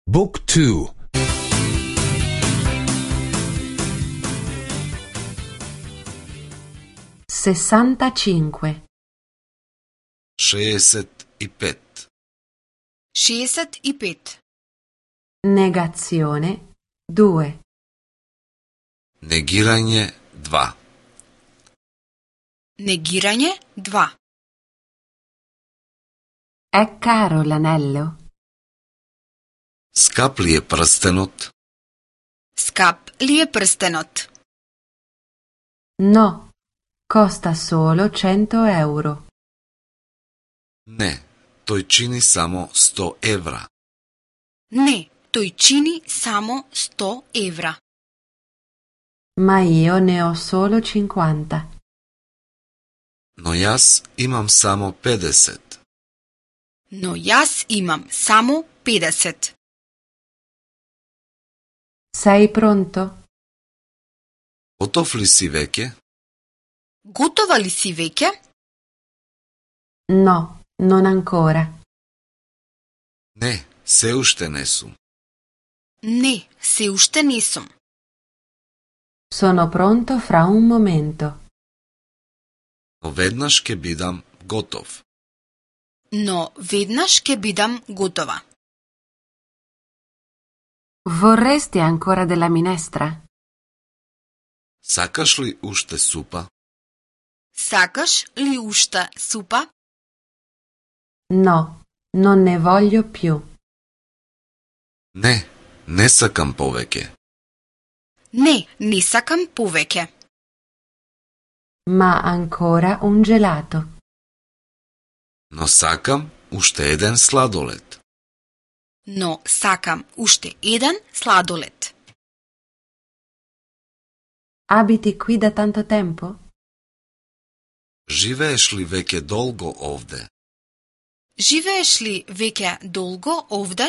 Book 2. 65. 65. 65. Negazione 2. Негирање 2. Negiranje 2. È caro l'anello? Скап ли е прстенот? Скап ли е прстенот? No, costa solo 100 euro. Не, тој чини само 100 евра. Не, тој чини само 100 евра. Ma io ne ho solo 50. Но јас имам само 50. Но јас имам само 50. Sei pronto? Готов ли си веќе? Готова ли си веќе? No, non ancora. Не, се уште не сум. Не, се уште не сум. Sono pronto fra un momento. Но веднаш ќе бидам готов. Но веднаш ќе бидам готова. Vorresti ancora della minestra? Сакаш ли уште супа? Сакаш ли уште супа? No, non ne voglio più. Не, не сакам повеќе. Не, не сакам повеќе. Ma ancora un gelato. Но сакам уште еден сладолед. Но сакам уште еден сладолед. Abiti qui da tanto tempo? Живееш ли веќе долго овде? Живееш ли веќе долго овде?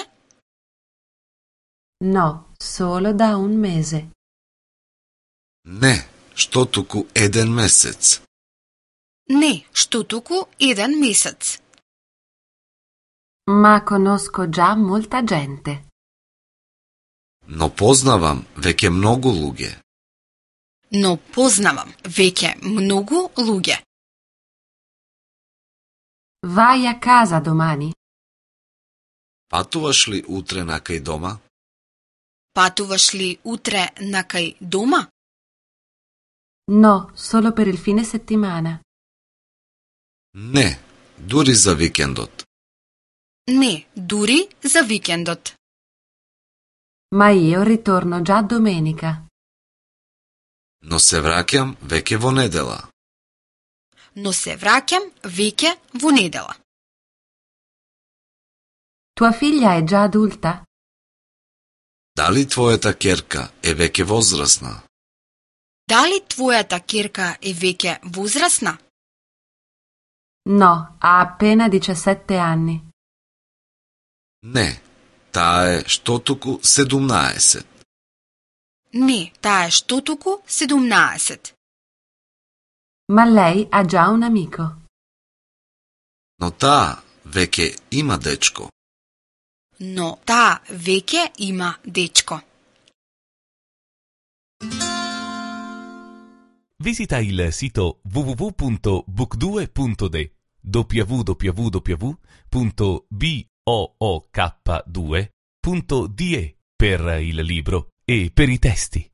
No, solo da un mese. Не, што туку еден месец. Не, што туку еден месец. Ma conosco già molta gente. Но познавам веќе многу луѓе. Но познавам веќе многу луѓе. Vai a casa domani? Патуваш ли утре накај дома? Патуваш ли утре накај дома? No, solo per il fine settimana. Не, дури за викендот. Не, дури за викендот. Ma io ritorno già domenica. Но се враќам веќе во недела. Но се враќам веќе во недела. Tua figlia è già adulta? Дали твојата ќерка е веќе возрасна? Дали твојата ќерка е веќе возрасна? No, ha appena 17 anni. Не, таа е што туку 17. Не, таа е што туку 17. Ma lei ha già un amico. Но таа веќе има дечко. Но таа веќе има дечко. Visita il sito www.book2.de www.book2.de per il libro e per i testi.